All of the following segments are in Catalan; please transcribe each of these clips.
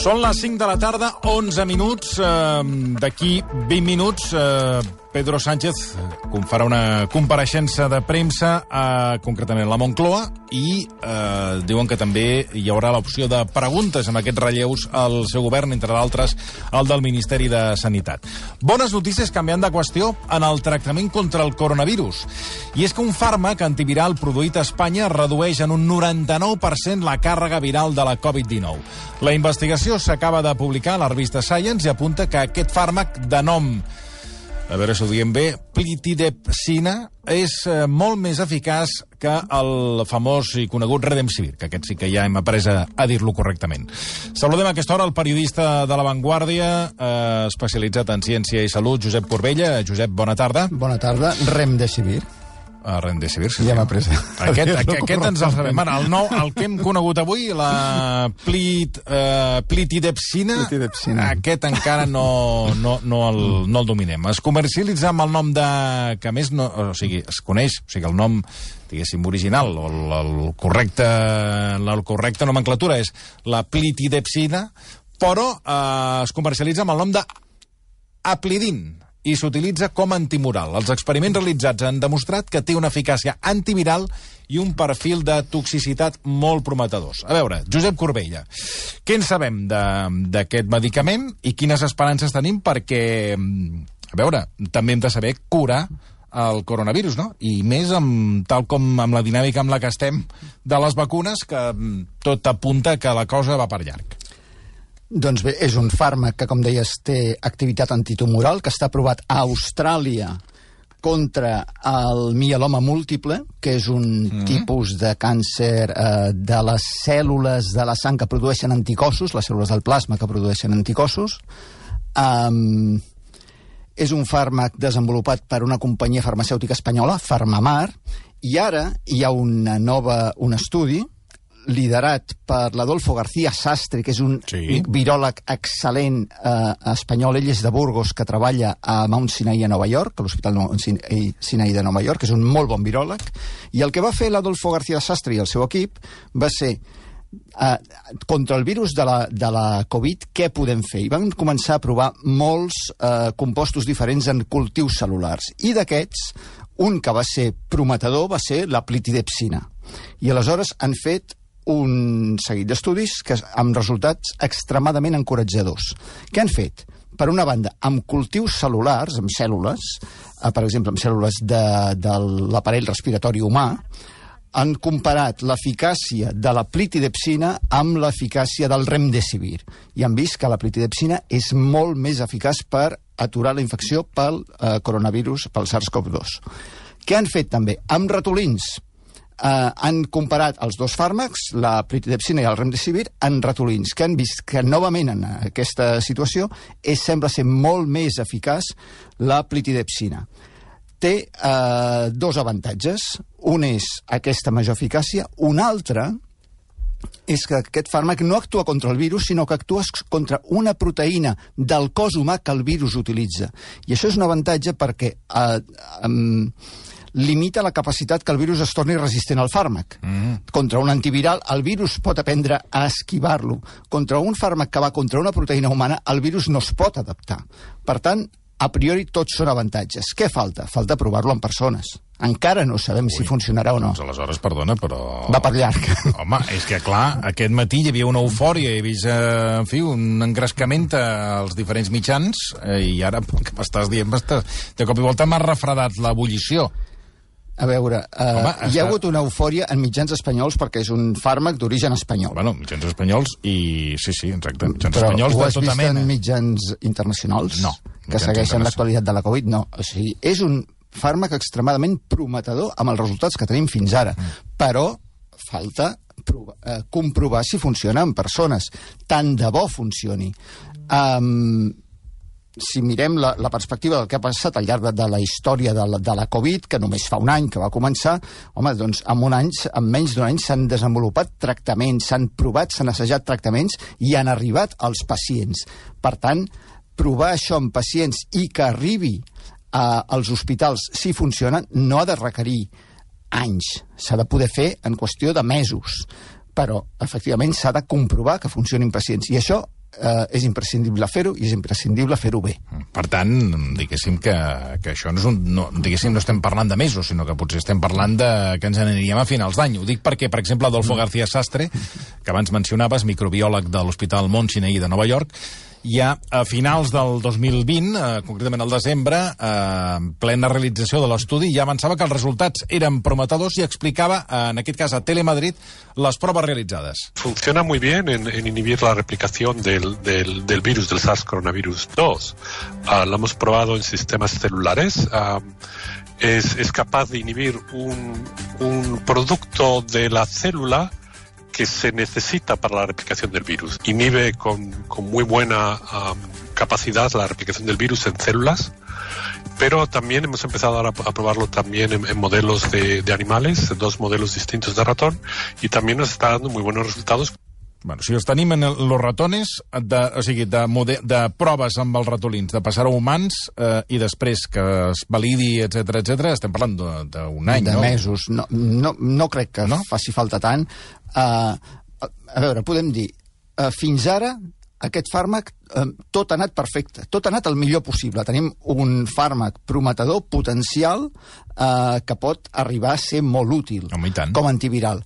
Són les 5 de la tarda, 11 minuts. D'aquí 20 minuts, Pedro Sánchez farà una compareixença de premsa, concretament a la Moncloa, i diuen que també hi haurà l'opció de preguntes amb aquests relleus al seu govern, entre d'altres el del Ministeri de Sanitat. Bones notícies canviant de qüestió en el tractament contra el coronavirus. I és que un fàrmac antiviral produït a Espanya redueix en un 99% la càrrega viral de la Covid-19. La investigació s'acaba de publicar a la revista Science i apunta que aquest fàrmac de nom, a veure si ho diem bé, plitidepsina, és molt més eficaç que el famós i conegut Remdesivir, que aquest sí que ja hem après a dir-lo correctament. Saludem a aquesta hora el periodista de La Vanguardia, especialitzat en ciència i salut, Josep Corbella. Josep, bona tarda. Bona tarda. Remdesivir. Remdesivir, sí. Ja m'ha pres. Aquest ens el sabem. Ara, el que hem conegut avui, la plitidepsina, aquest encara no el dominem. Es comercialitza amb el nom de... que més no... O sigui, es coneix, o sigui, el nom, diguéssim, original, o la correcta nomenclatura és la plitidepsina, però es comercialitza amb el nom de Aplidin, i s'utilitza com a antimoral. Els experiments realitzats han demostrat que té una eficàcia antiviral i un perfil de toxicitat molt prometedors. A veure, Josep Corbella, què en sabem d'aquest medicament i quines esperances tenim perquè, a veure, també hem de saber curar el coronavirus, no? I més tal com amb la dinàmica amb la que estem de les vacunes, que tot apunta que la cosa va per llarg. Doncs bé, és un fàrmac que, com deies, té activitat antitumoral, que està aprovat a Austràlia contra el mieloma múltiple, que és un tipus de càncer de les cèl·lules de la sang que produeixen anticossos, les cèl·lules del plasma que produeixen anticossos. És un fàrmac desenvolupat per una companyia farmacèutica espanyola, Farmamar, i ara hi ha un estudi liderat per l'Adolfo García Sastre, que és un viròleg excel·lent espanyol. Ell és de Burgos, que treballa a Mount Sinai a Nova York, a l'Hospital Sinai de Nova York, que és un molt bon viròleg. I el que va fer l'Adolfo García Sastre i el seu equip va ser contra el virus de la Covid, què podem fer? I van començar a provar molts compostos diferents en cultius cel·lulars. I d'aquests, un que va ser prometedor va ser la plitidepsina. I aleshores han fet un seguit d'estudis amb resultats extremadament encoratjadors. Què han fet? Per una banda, amb cultius cel·lulars, amb cèl·lules, per exemple, amb cèl·lules de l'aparell respiratori humà, han comparat l'eficàcia de la plitidepsina amb l'eficàcia del Remdesivir. I han vist que la plitidepsina és molt més eficaç per aturar la infecció pel coronavirus, pel SARS-CoV-2. Què han fet també? Amb ratolins. Han comparat els dos fàrmacs, la plitidepsina i el Remdesivir, en ratolins, que han vist que novament en aquesta situació sembla ser molt més eficaç la plitidepsina. Té dos avantatges. Un és aquesta major eficàcia. Un altre és que aquest fàrmac no actua contra el virus, sinó que actua contra una proteïna del cos humà que el virus utilitza. I això és un avantatge perquè limita la capacitat que el virus es torni resistent al fàrmac. Contra un antiviral, el virus pot aprendre a esquivar-lo. Contra un fàrmac que va contra una proteïna humana, el virus no es pot adaptar. Per tant, a priori, tots són avantatges. Què falta? Falta provar-lo en persones. Encara no sabem si funcionarà o no. Doncs aleshores, perdona, però... Va per llarg. Home, és que, clar, aquest matí hi havia una eufòria, he vist, en fi, un engrescament als diferents mitjans, i ara, que m'estàs dient, de cop i volta m'ha refredat l'ebullició. A veure, hi ha hagut una eufòria en mitjans espanyols perquè és un fàrmac d'origen espanyol. Bueno, mitjans espanyols i... Sí, exacte. Mitjans espanyols de tota mena. Però ho has vist en mitjans internacionals? No. Que segueixen l'actualitat de la Covid? No. O sigui, és un fàrmac extremadament prometedor amb els resultats que tenim fins ara. Però falta comprovar si funciona en persones. Tant de bo funcioni. Si mirem la perspectiva del que ha passat al llarg de la història de la Covid, que només fa un any que va començar, home, doncs en menys d'un any s'han desenvolupat tractaments, s'han provat, s'han assajat tractaments i han arribat als pacients. Per tant, provar això en pacients i que arribi als hospitals si funciona no ha de requerir anys, s'ha de poder fer en qüestió de mesos. Però, efectivament, s'ha de comprovar que funcionin pacients. I això és imprescindible fer-ho i és imprescindible fer-ho bé. Per tant, diguéssim que això no estem parlant de mesos, sinó que potser estem parlant que ens n'aniríem a finals d'any. Ho dic perquè, per exemple, Adolfo García Sastre, que abans mencionaves, microbiòleg de l'Hospital Mount Sinai de Nova York, ja a finals del 2020, concretament al desembre, en plena realització de l'estudi, ja avançava que els resultats eren prometedors i explicava, en aquest cas a Telemadrid, les proves realitzades. Funciona muy bien en inhibir la replicación del virus, del SARS-CoV-2. Lo hemos probado en sistemas celulares. Es capaz de inhibir un producto de la célula que se necesita para la replicación del virus. Inhibe con muy buena capacidad la replicación del virus en células, pero también hemos empezado ahora a probarlo también en modelos de animales, 2 modelos distintos de ratón, y también nos está dando muy buenos resultados. Bueno, si els tenim en los ratones, de proves amb els ratolins, de passar a humans i després que es validi, etc, estem parlant d'un any, no? De mesos. No crec que faci falta tant. A veure, podem dir, fins ara aquest fàrmac tot ha anat perfecte, tot ha anat el millor possible. Tenim un fàrmac prometedor, potencial, que pot arribar a ser molt útil com antiviral.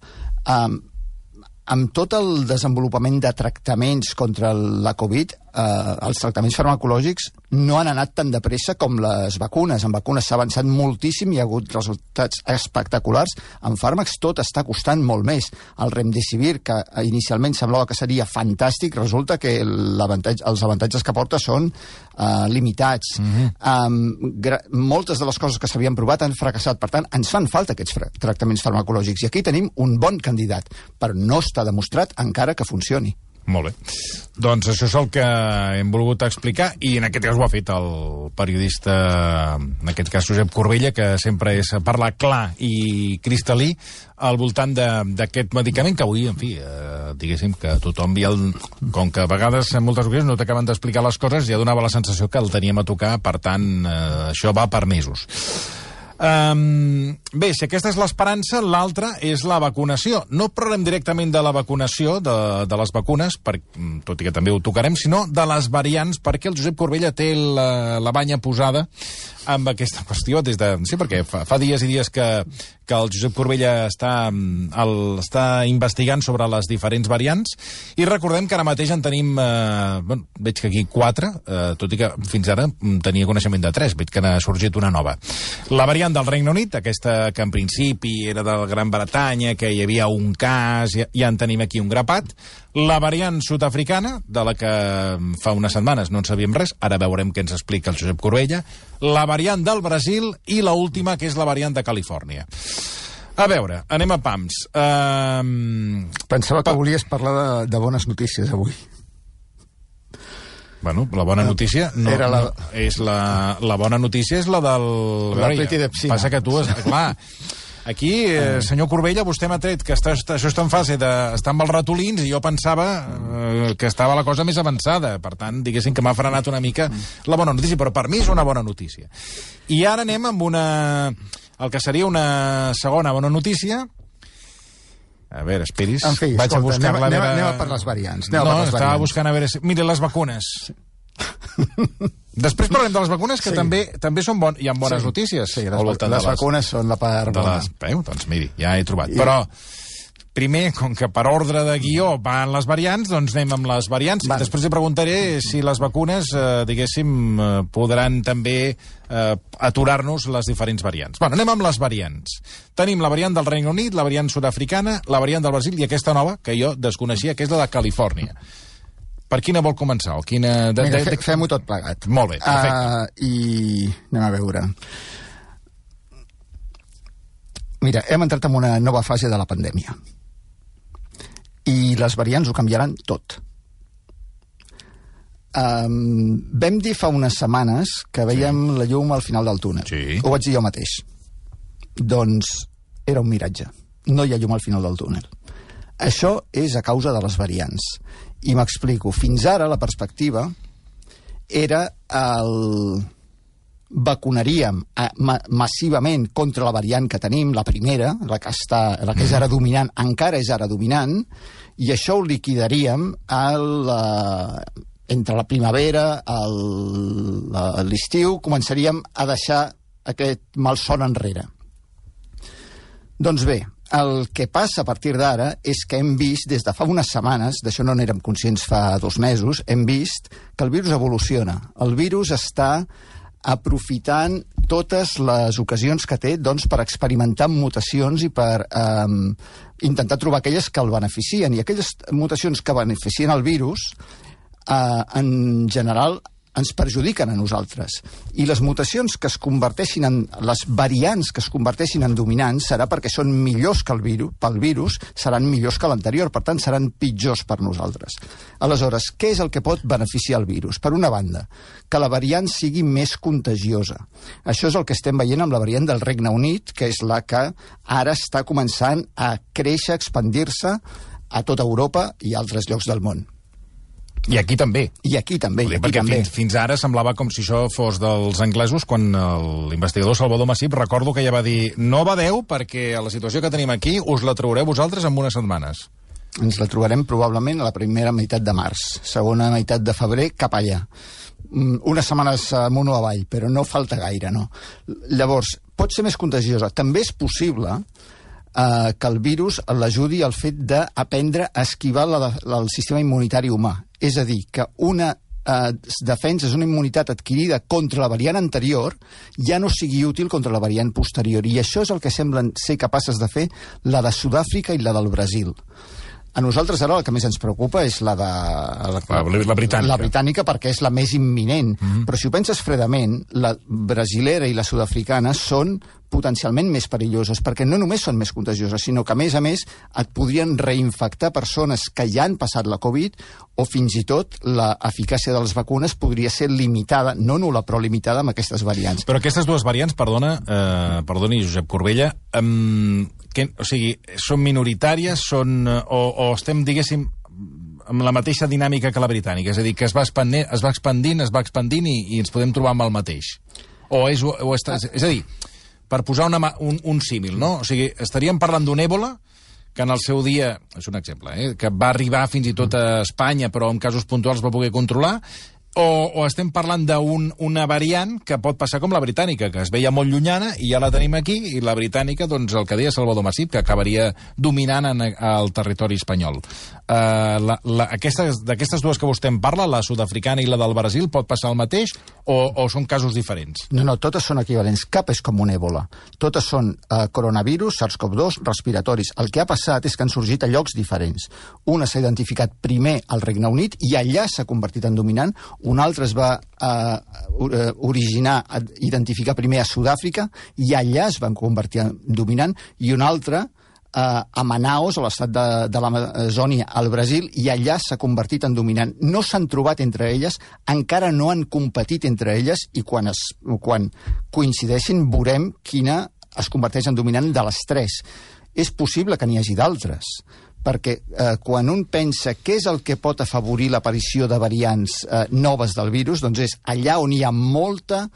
Amb tot el desenvolupament de tractaments contra la Covid, els tractaments farmacològics no han anat tan de pressa com les vacunes. En vacunes s'ha avançat moltíssim, hi ha hagut resultats espectaculars. En fàrmacs tot està costant molt més. El Remdesivir, que inicialment semblava que seria fantàstic, resulta que els avantatges que porta són limitats. Moltes de les coses que s'havien provat han fracassat. Per tant, ens fan falta aquests tractaments farmacològics. I aquí tenim un bon candidat, però no està demostrat encara que funcioni. Molt bé. Doncs això és el que hem volgut explicar, i en aquest cas ho ha fet el periodista, en aquest cas Josep Corbella, que sempre és parlar clar i cristal·lí al voltant d'aquest medicament que avui, en fi, diguéssim que tothom com que a vegades en moltes ocasions no t'acaben d'explicar les coses, ja donava la sensació que el teníem a tocar, per tant, això va per mesos. Bé, si aquesta és l'esperança, l'altra és la vacunació. No parlem directament de la vacunació, de les vacunes, tot i que també ho tocarem, sinó de les variants, perquè el Josep Corbella té la banya posada amb aquesta qüestió sí, perquè fa dies i dies que el Josep Corbella està investigant sobre les diferents variants, i recordem que ara mateix en tenim, veig que aquí 4, tot i que fins ara tenia coneixement de 3, veig que n'ha sorgit una nova. La variant del Regne Unit, aquesta que en principi era del Gran Bretanya, que hi havia un cas, ja en tenim aquí un grapat. La variant sud-africana, de la que fa unes setmanes no en sabíem res, ara veurem què ens explica el Josep Corbella, la variant del Brasil i la última, que és la variant de Califòrnia. A veure, anem a pams. Pensava que volies parlar de bones notícies avui. Bueno, la bona notícia és la bona notícia és la del... Passa que tu... Clar, aquí, senyor Corbella, vostè m'ha tret que això està en fase d'estar amb els ratolins, i jo pensava que estava la cosa més avançada. Per tant, diguéssim que m'ha frenat una mica la bona notícia, però per mi és una bona notícia. I ara anem amb el que seria una segona bona notícia. A veure, esperis. En fi, escolta, anem a per les variants. Estava buscant a veure... Mira, les vacunes. Després parlem de les vacunes, que també són bones. Hi ha bones notícies. Sí, les vacunes són la part bona. Doncs miri, ja he trobat. Però primer, com que per ordre de guió van les variants, doncs anem amb les variants. Després li preguntaré si les vacunes, diguéssim, podran també aturar-nos les diferents variants. Bueno, anem amb les variants. Tenim la variant del Regne Unit, la variant sud-africana, la variant del Brasil i aquesta nova, que jo desconeixia, que és la de Califòrnia. Per quina vol començar? Fem-ho tot plegat. Molt bé, perfecte. I anem a veure. Mira, hem entrat en una nova fase de la pandèmia. I les variants ho canviaran tot. Vam dir fa unes setmanes que veiem la llum al final del túnel. Sí. Ho vaig dir jo mateix. Doncs era un miratge. No hi ha llum al final del túnel. Això és a causa de les variants. I m'explico. Fins ara la perspectiva era vacunaríem massivament contra la variant que tenim, la primera, la que és ara dominant, encara és ara dominant, i això ho liquidaríem entre la primavera i l'estiu, començaríem a deixar aquest malson enrere. Doncs bé, el que passa a partir d'ara és que hem vist, des de fa unes setmanes, d'això no n'érem conscients fa 2 mesos, hem vist que el virus evoluciona. El virus està aprofitant totes les ocasions que té per experimentar mutacions i per intentar trobar aquelles que el beneficien. I aquelles mutacions que beneficien el virus, en general, ens perjudiquen a nosaltres. I les mutacions que es converteixin en... les variants que es converteixin en dominants serà perquè són millors que pel virus, seran millors que l'anterior, per tant seran pitjors per nosaltres. Aleshores, què és el que pot beneficiar el virus? Per una banda, que la variant sigui més contagiosa. Això és el que estem veient amb la variant del Regne Unit, que és la que ara està començant a créixer, a expandir-se a tota Europa i a altres llocs del món. I aquí també. I aquí també. Perquè fins ara semblava com si això fos dels anglesos, quan l'investigador Salvador Massip, recordo que ja va dir: no badeu, perquè a la situació que tenim aquí us la traureu vosaltres en unes setmanes. Ens la trobarem probablement a la primera meitat de març, segona meitat de febrer, cap allà. Unes setmanes amunt o avall, però no falta gaire, no? Llavors, pot ser més contagiosa. També és possible que el virus l'ajudi al fet d'aprendre a esquivar el sistema immunitari humà. És a dir, que una defenses, una immunitat adquirida contra la variant anterior, ja no sigui útil contra la variant posterior. I això és el que semblen ser capaces de fer la de Sud-àfrica i la del Brasil. A nosaltres ara el que més ens preocupa és la britànica. La britànica, perquè és la més imminent. Però si ho penses fredament, la brasilera i la sud-africana són potencialment més perilloses, perquè no només són més contagioses, sinó que, a més, et podrien reinfectar persones que ja han passat la Covid, o fins i tot l'eficàcia de les vacunes podria ser limitada, no nul·la, però limitada amb aquestes variants. Però aquestes dues variants, perdoni, Josep Corbella, o sigui, són minoritàries, o estem, diguéssim, amb la mateixa dinàmica que la britànica, és a dir, que es va expandint i ens podem trobar amb el mateix. És a dir, per posar un símil, no? O sigui, estaríem parlant d'un èbola que en el seu dia, és un exemple, que va arribar fins i tot a Espanya, però en casos puntuals va poder controlar, o estem parlant d'una variant que pot passar com la britànica, que es veia molt llunyana i ja la tenim aquí, i la britànica, doncs el que deia Salvador Massip, que acabaria dominant al territori espanyol. D'aquestes dues que vostè en parla, la sud-africana i la del Brasil, pot passar el mateix o són casos diferents? No, totes són equivalents. Cap és com un èbola. Totes són coronavirus, SARS-CoV-2, respiratoris. El que ha passat és que han sorgit a llocs diferents. Una s'ha identificat primer al Regne Unit i allà s'ha convertit en dominant. Un altre es va identificar primer a Sud-àfrica i allà es van convertir en dominant, i un altre a Manaus, a l'estat de l'Amazònia, al Brasil, i allà s'ha convertit en dominant. No s'han trobat entre elles, encara no han competit entre elles, i quan coincideixin veurem quina es converteix en dominant de les tres. És possible que n'hi hagi d'altres, perquè quan un pensa què és el que pot afavorir l'aparició de variants noves del virus, doncs és allà on hi ha molta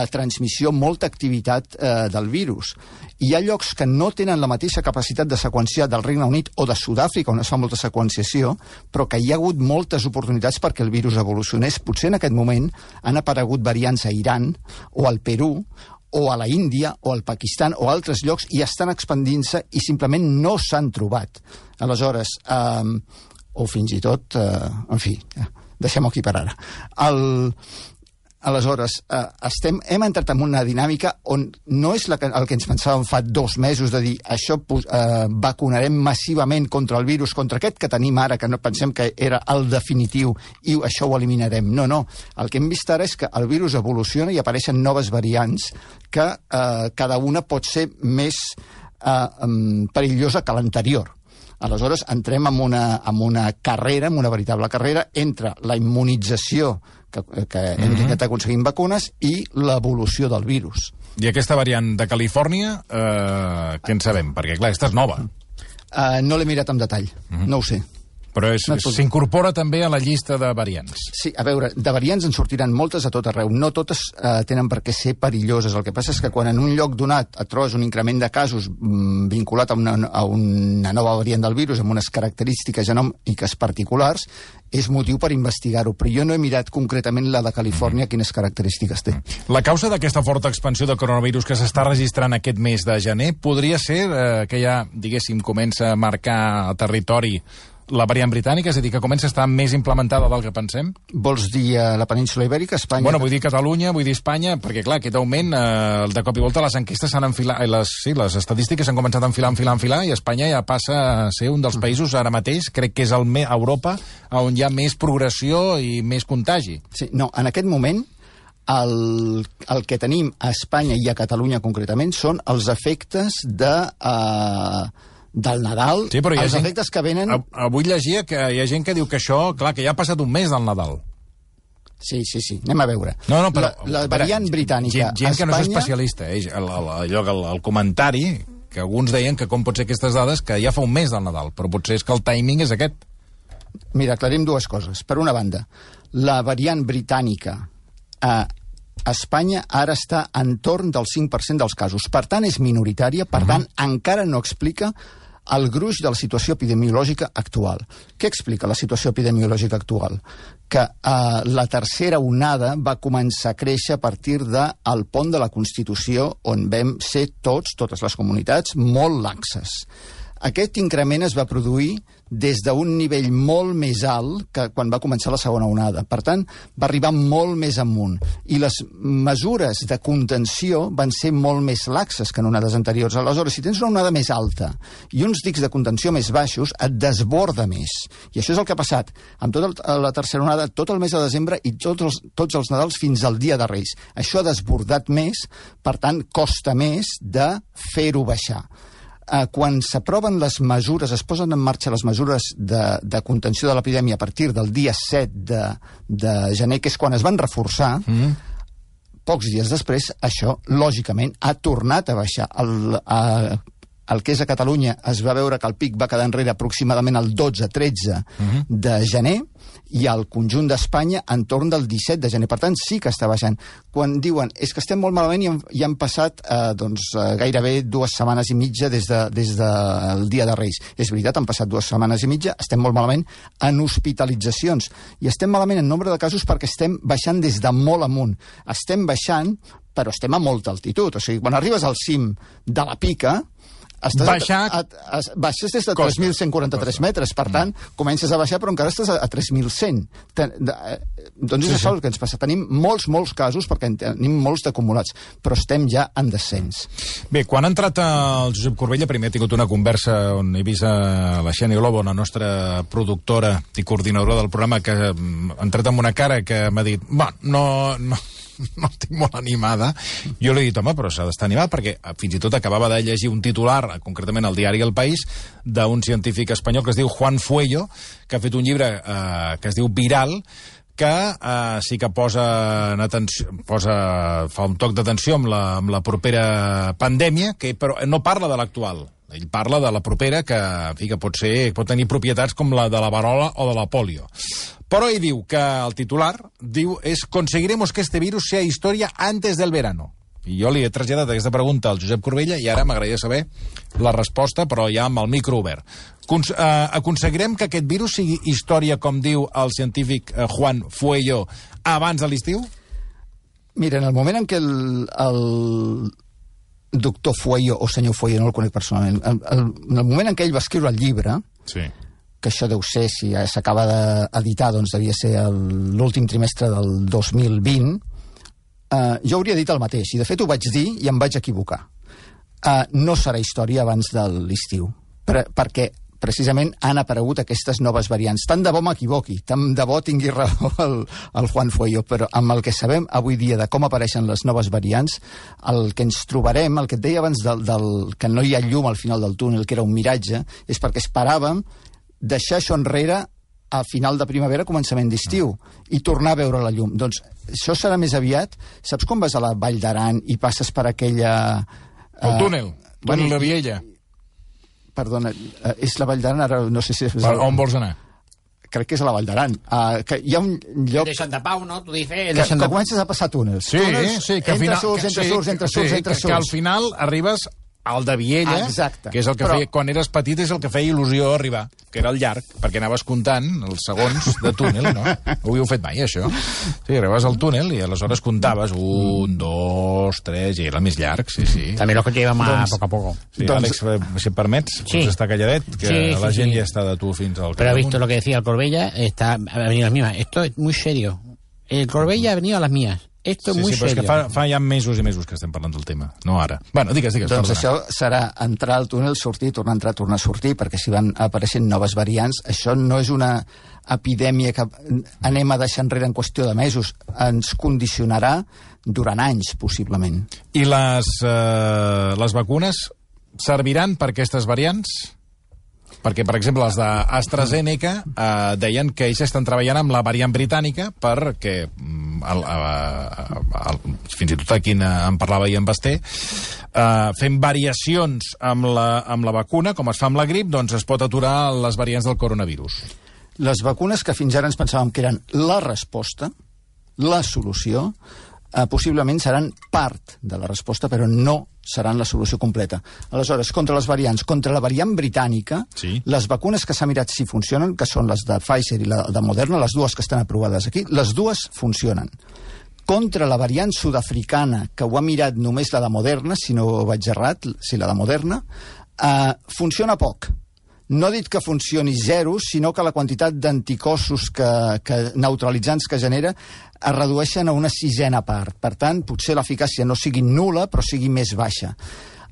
transmissió, molta activitat del virus. Hi ha llocs que no tenen la mateixa capacitat de seqüenciar del Regne Unit o de Sud-àfrica, on es fa molta seqüenciació, però que hi ha hagut moltes oportunitats perquè el virus evolucionés. Potser en aquest moment han aparegut variants a Iran o al Perú, o a la Índia, o al Pakistan, o a altres llocs, i estan expandint-se i simplement no s'han trobat. Aleshores, o fins i tot, en fi, deixem-ho aquí per ara. Aleshores, hem entrat en una dinàmica on no és el que ens pensàvem fa 2 mesos de dir això vacunarem massivament contra el virus, contra aquest que tenim ara, que no pensem que era el definitiu i això ho eliminarem. No. El que hem vist ara és que el virus evoluciona i apareixen noves variants que cada una pot ser més perillosa que l'anterior. Aleshores, entrem en una carrera, en una veritable carrera, entre la immunització que hem intentat aconseguir vacunes i l'evolució del virus. I aquesta variant de Califòrnia, què en sabem? Perquè, clar, aquesta és nova. No l'he mirat amb detall, no ho sé. Però s'incorpora també a la llista de variants. Sí, a veure, de variants en sortiran moltes a tot arreu. No totes tenen per què ser perilloses. El que passa és que quan en un lloc donat et trobes un increment de casos vinculat a una nova variant del virus amb unes característiques genòmiques particulars, és motiu per investigar-ho, però jo no he mirat concretament la de Califòrnia, quines característiques té. La causa d'aquesta forta expansió del coronavirus que s'està registrant aquest mes de gener podria ser que ja, diguéssim, comença a marcar territori la variant britànica, és a dir, que comença a estar més implementada del que pensem? Vols dir la península Ibèrica, Espanya? Bueno, vull dir Catalunya, vull dir Espanya, perquè, clar, aquest augment, de cop i volta les enquestes s'han enfilat, les estadístiques s'han començat a enfilar, i Espanya ja passa a ser un dels països, ara mateix, crec que és a Europa, on hi ha més progressió i més contagi. Sí, no, en aquest moment, el que tenim a Espanya i a Catalunya concretament són els efectes del Nadal, sí, però els efectes que venen... Avui llegia que hi ha gent que diu que això, clar, que ja ha passat un mes del Nadal. Sí, anem a veure. No, però... La variant britànica... Gent que no és especialista, el comentari, que alguns deien que com pot ser aquestes dades, que ja fa un mes del Nadal, però potser és que el timing és aquest. Mira, aclarim dues coses. Per una banda, la variant britànica a Espanya ara està entorn del 5% dels casos. Per tant, és minoritària, per tant, encara no explica el gruix de la situació epidemiològica actual. Què explica la situació epidemiològica actual? Que la tercera onada va començar a créixer a partir del pont de la Constitució, on vam ser totes les comunitats, molt laxes. Aquest increment es va produir des d'un nivell molt més alt que quan va començar la segona onada. Per tant, va arribar molt més amunt. I les mesures de contenció van ser molt més laxes que en onades anteriors. Aleshores, si tens una onada més alta i uns dics de contenció més baixos, et desborda més. I això és el que ha passat amb tota la tercera onada, tot el mes de desembre i tots els Nadals fins al Dia de Reis. Això ha desbordat més, per tant, costa més de fer-ho baixar. Quan s'aproven les mesures, es posen en marxa les mesures de contenció de l'epidèmia a partir del dia 7 de gener, que és quan es van reforçar, pocs dies després, això, lògicament, ha tornat a baixar. El que és a Catalunya es va veure que el pic va quedar enrere aproximadament el 12-13 de gener i al conjunt d'Espanya entorn del 17 de gener. Per tant, sí que està baixant. Quan diuen és que estem molt malament i han passat gairebé 2 setmanes i mitja des del Dia de Reis. És veritat, han passat 2 setmanes i mitja, estem molt malament en hospitalitzacions. I estem malament en nombre de casos perquè estem baixant des de molt amunt. Estem baixant, però estem a molta altitud. O sigui, quan arribes al cim de la pica, baixes des de 3.143 metres, per tant, comences a baixar, però encara estàs a 3.100. Doncs és això el que ens passa. Tenim molts casos, perquè en tenim molts d'acumulats, però estem ja en descens. Bé, quan ha entrat el Josep Corbella, primer he tingut una conversa on he vist la Xènia Lobo, la nostra productora i coordinadora del programa, que ha entrat amb una cara que m'ha dit, no estic molt animada. Jo li he dit, home, però s'ha d'estar animat, perquè fins i tot acabava de llegir un titular, concretament al diari El País, d'un científic espanyol que es diu Juan Fuello, que ha fet un llibre que es diu Viral, que sí que fa un toc d'atenció amb la propera pandèmia, però no parla de l'actual. Ell parla de la propera, que, en fi, que pot tenir propietats com la de la varola o de la polio. Però ell diu que el titular és «Conseguiremos que este virus sea historia antes del verano». I jo li he traslladat aquesta pregunta al Josep Corbella i ara m'agradaria saber la resposta, però ja amb el micro obert. Aconseguirem que aquest virus sigui història, com diu el científic Juan Fuello, abans de l'estiu? Mira, en el moment en què el doctor Fuello, o senyor Fuello, no el conec personalment, en el moment en què ell va escriure el llibre, sí, que això deu ser, si s'acaba d'editar, doncs devia ser l'últim trimestre del 2020, jo hauria dit el mateix, i de fet ho vaig dir i em vaig equivocar. No serà història abans de l'estiu, perquè precisament han aparegut aquestes noves variants. Tant de bo m'equivoqui, tant de bo tingui raó el Juan Fuello, però amb el que sabem avui dia de com apareixen les noves variants, el que ens trobarem, el que et deia abans que no hi ha llum al final del túnel, que era un miratge, és perquè esperàvem deixar això enrere a final de primavera, començament d'estiu, i tornar a veure la llum. Doncs això serà més aviat. Saps quan vas a la Vall d'Aran i passes per aquella... El túnel de Viella. Perdona, és la Vall d'Aran, ara no sé si... On vols anar? crec que és a la Vall d'Aran, que hi ha un lloc... De Santa Pau, no? Tu dices... Que comences a passar túnels. Sí, que al final... Entre surts. Que al final arribes al de Viella, que és el que feia... Quan eres petit és el que feia il·lusió arribar, que era el llarg, perquè anaves comptant els segons de túnel, no? Ho havíeu fet mai, això? Sí, arribaves al túnel i aleshores comptaves 1, 2, 3, i era el més llarg, sí. També lo que lleva más poco a poco. Sí, Àlex, si em permets, pots estar calladet, que la gent ja està de tu fins al... Pero ha visto lo que decía el Corbella, ha venido a las mismas. Esto es muy serio. El Corbella ha venido a las mías. Esto es muy serio. Sí, però és que fa ja mesos i mesos que estem parlant del tema, no ara. Bueno, digues, doncs perdona. Això serà entrar al túnel, sortir, tornar a entrar, tornar a sortir, perquè si van apareixent noves variants, això no és una epidèmia que anem a deixar enrere en qüestió de mesos, ens condicionarà durant anys, possiblement. I les vacunes serviran per aquestes variants? Perquè, per exemple, els d'AstraZeneca deien que ells estan treballant amb la variant britànica perquè, fins i tot aquí en parlava i en Basté, fent variacions amb la vacuna, com es fa amb la grip, doncs es pot aturar les variants del coronavirus. Les vacunes que fins ara ens pensàvem que eren la resposta, la solució, possiblement seran part de la resposta, però no seran la solució completa. Aleshores, contra les variants, contra la variant britànica, les vacunes que s'ha mirat si funcionen, que són les de Pfizer i la de Moderna, les dues que estan aprovades aquí, les dues funcionen. Contra la variant sud-africana, que ho ha mirat només la de Moderna, si no vaig errat, si la de Moderna, funciona poc. No ha dit que funcioni zero, sinó que la quantitat d'anticossos neutralitzants que genera es redueixen a una 6ena part. Per tant, potser l'eficàcia no sigui nul·la, però sigui més baixa.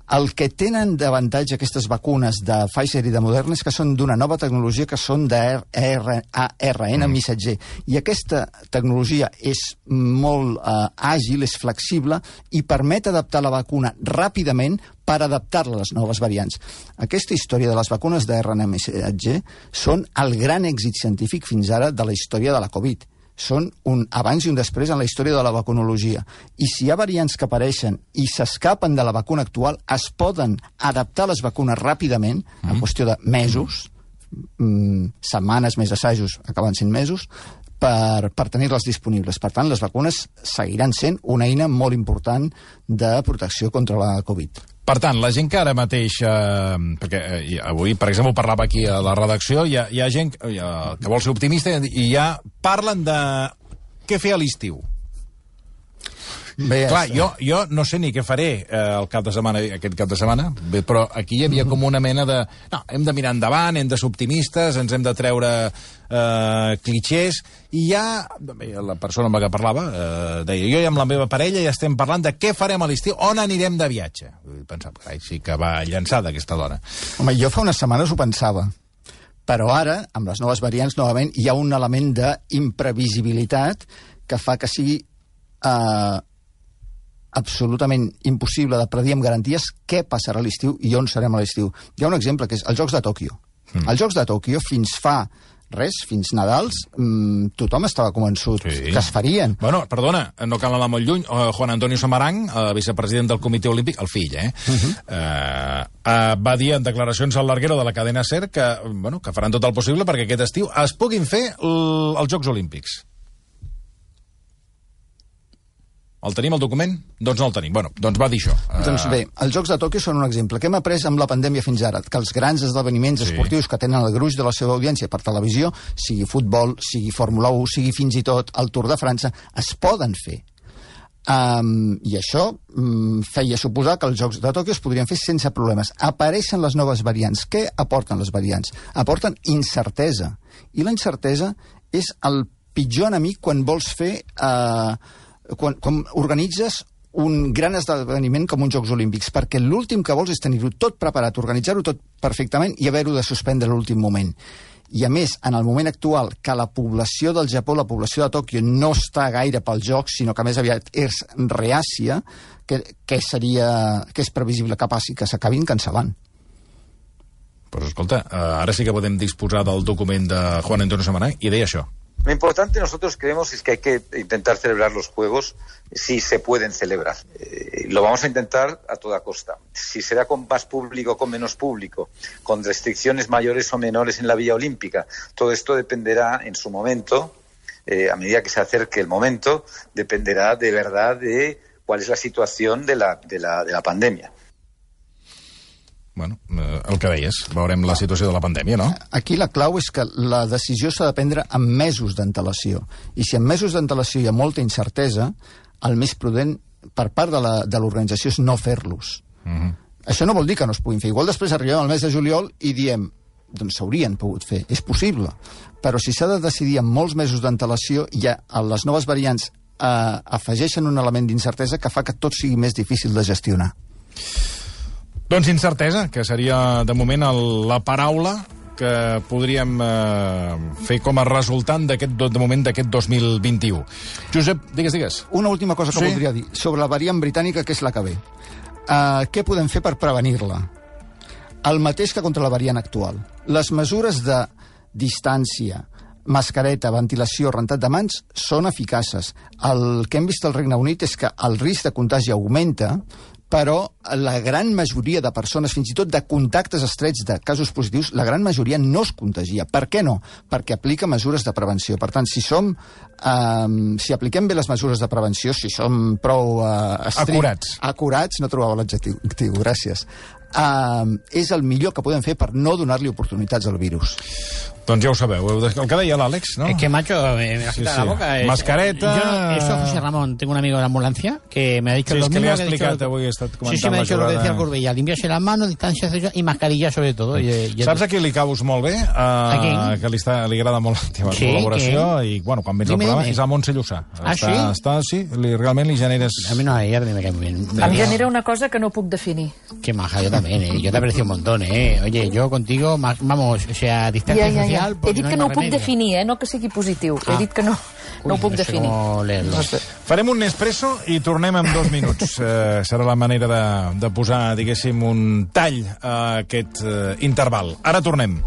El que tenen d'avantatge aquestes vacunes de Pfizer i de Moderna és que són d'una nova tecnologia que són d'ARN missatger. I aquesta tecnologia és molt àgil, és flexible i permet adaptar la vacuna ràpidament per adaptar-la a les noves variants. Aquesta història de les vacunes d'ARN missatger són el gran èxit científic fins ara de la història de la Covid. Són un abans i un després en la història de la vacunologia. I si hi ha variants que apareixen i s'escapen de la vacuna actual, es poden adaptar les vacunes ràpidament, en qüestió de mesos, setmanes, més assajos, acaben sent mesos, per tenir-les disponibles. Per tant, les vacunes seguiran sent una eina molt important de protecció contra la Covid. Per tant, la gent que ara mateix... perquè avui, per exemple, parlava aquí a la redacció, hi ha gent que vol ser optimista i ja parlen de què fer a l'estiu. Bé, clar, jo no sé ni què faré aquest cap de setmana, però aquí hi havia com una mena de... No, hem de mirar endavant, hem de ser optimistes, ens hem de treure clichés, i ja la persona amb la que parlava deia, jo i amb la meva parella ja estem parlant de què farem a l'estiu, on anirem de viatge. Pensava, carai, sí que va llançada aquesta dona. Home, jo fa unes setmanes ho pensava, però ara, amb les noves variants, novament, hi ha un element d'imprevisibilitat que fa que sigui absolutament impossible de predir amb garanties què passarà a l'estiu i on serem a l'estiu. Hi ha un exemple, que és els Jocs de Tòquio. Els Jocs de Tòquio, fins fa fins Nadals, tothom estava convençut que es farien. Bueno, perdona, no cal anar molt lluny. Juan Antonio Samaranch, vicepresident del Comitè Olímpic, el fill, va dir en declaracions al larguero de la cadena SER que faran tot el possible perquè aquest estiu es puguin fer els Jocs Olímpics. El tenim, el document? Doncs no el tenim. Bueno, doncs va dir això. Doncs bé, els Jocs de Tòquio són un exemple. Què hem après amb la pandèmia fins ara? Que els grans esdeveniments esportius que tenen el gruix de la seva audiència per televisió, sigui futbol, sigui Fórmula 1, sigui fins i tot el Tour de França, es poden fer. I això feia suposar que els Jocs de Tòquio es podrien fer sense problemes. Apareixen les noves variants. Què aporten les variants? Aporten incertesa. I la incertesa és el pitjor enemic quan vols fer... quan organitzes un gran esdeveniment com uns Jocs Olímpics, perquè l'últim que vols és tenir-ho tot preparat, organitzar-ho tot perfectament i haver-ho de suspendre a l'últim moment. I a més, en el moment actual, que la població del Japó, la població de Tòquio, no està gaire pels Jocs, sinó que més aviat és reàcia, que és previsible que passi, que s'acabin cancel·lant. Pues escolta, ara sí que podem disposar del document de Juan Antonio Samaranch i deia això. Lo importante nosotros creemos es que hay que intentar celebrar los Juegos si se pueden celebrar. lo vamos a intentar a toda costa. Si será con más público o con menos público, con restricciones mayores o menores en la Villa Olímpica, todo esto dependerá en su momento, a medida que se acerque el momento, dependerá de verdad de cuál es la situación de la pandèmia. Bueno, el que deies, veurem la situació de la pandèmia, no? Aquí la clau és que la decisió s'ha de prendre amb mesos d'antelació. I si en mesos d'antelació hi ha molta incertesa, el més prudent per part de l'organització és no fer-los. Això no vol dir que no es puguin fer. Igual després arribem al mes de juliol i diem, doncs s'haurien pogut fer, és possible. Però si s'ha de decidir amb molts mesos d'antelació, ja les noves variants afegeixen un element d'incertesa que fa que tot sigui més difícil de gestionar. Doncs incertesa, que seria de moment la paraula que podríem fer com a resultant de moment d'aquest 2021. Josep, digues. Una última cosa que voldria dir sobre la variant britànica, que és la que ve. Què podem fer per prevenir-la? El mateix que contra la variant actual. Les mesures de distància, mascareta, ventilació, rentat de mans, són eficaces. El que hem vist al Regne Unit és que el risc de contagi augmenta, però la gran majoria de persones, fins i tot de contactes estrets de casos positius, la gran majoria no es contagia. Per què no? Perquè aplica mesures de prevenció. Per tant, si apliquem bé les mesures de prevenció, si som prou acurats, no trobava l'adjectiu, gràcies, és el millor que podem fer per no donar-li oportunitats al virus. Doncs ja ho sabeu, el que deia l'Àlex, ¿no? Es que, macho, me ha quitado la boca. Mascareta... Eso, José Ramón, tengo un amigo de la ambulancia que me ha dicho lo mismo que le ha explicado. avui, he estat comentant. Sí, me ha dicho lo que decía el Corbella, limpiarse las manos, distancia y mascarilla sobre todo. Saps a qui li caus molt bé? A qui? Que li agrada molt la teva col·laboració i, bueno, quan vens al programa, és a Montse Llussà. Sí? Realment li generes... A mi no, a ella me cae muy bien. Em genera una cosa que no puc definir. Qué maja, yo también, yo te aprecio un montón, Oye, yo contigo, vamos, o sea, distancia social... He dit que no ho puc definir, no que sigui positiu. He dit que no ho puc definir. Farem un Nespresso i tornem en 2 minuts. Serà la manera de posar, diguéssim, un tall a aquest interval. Ara tornem.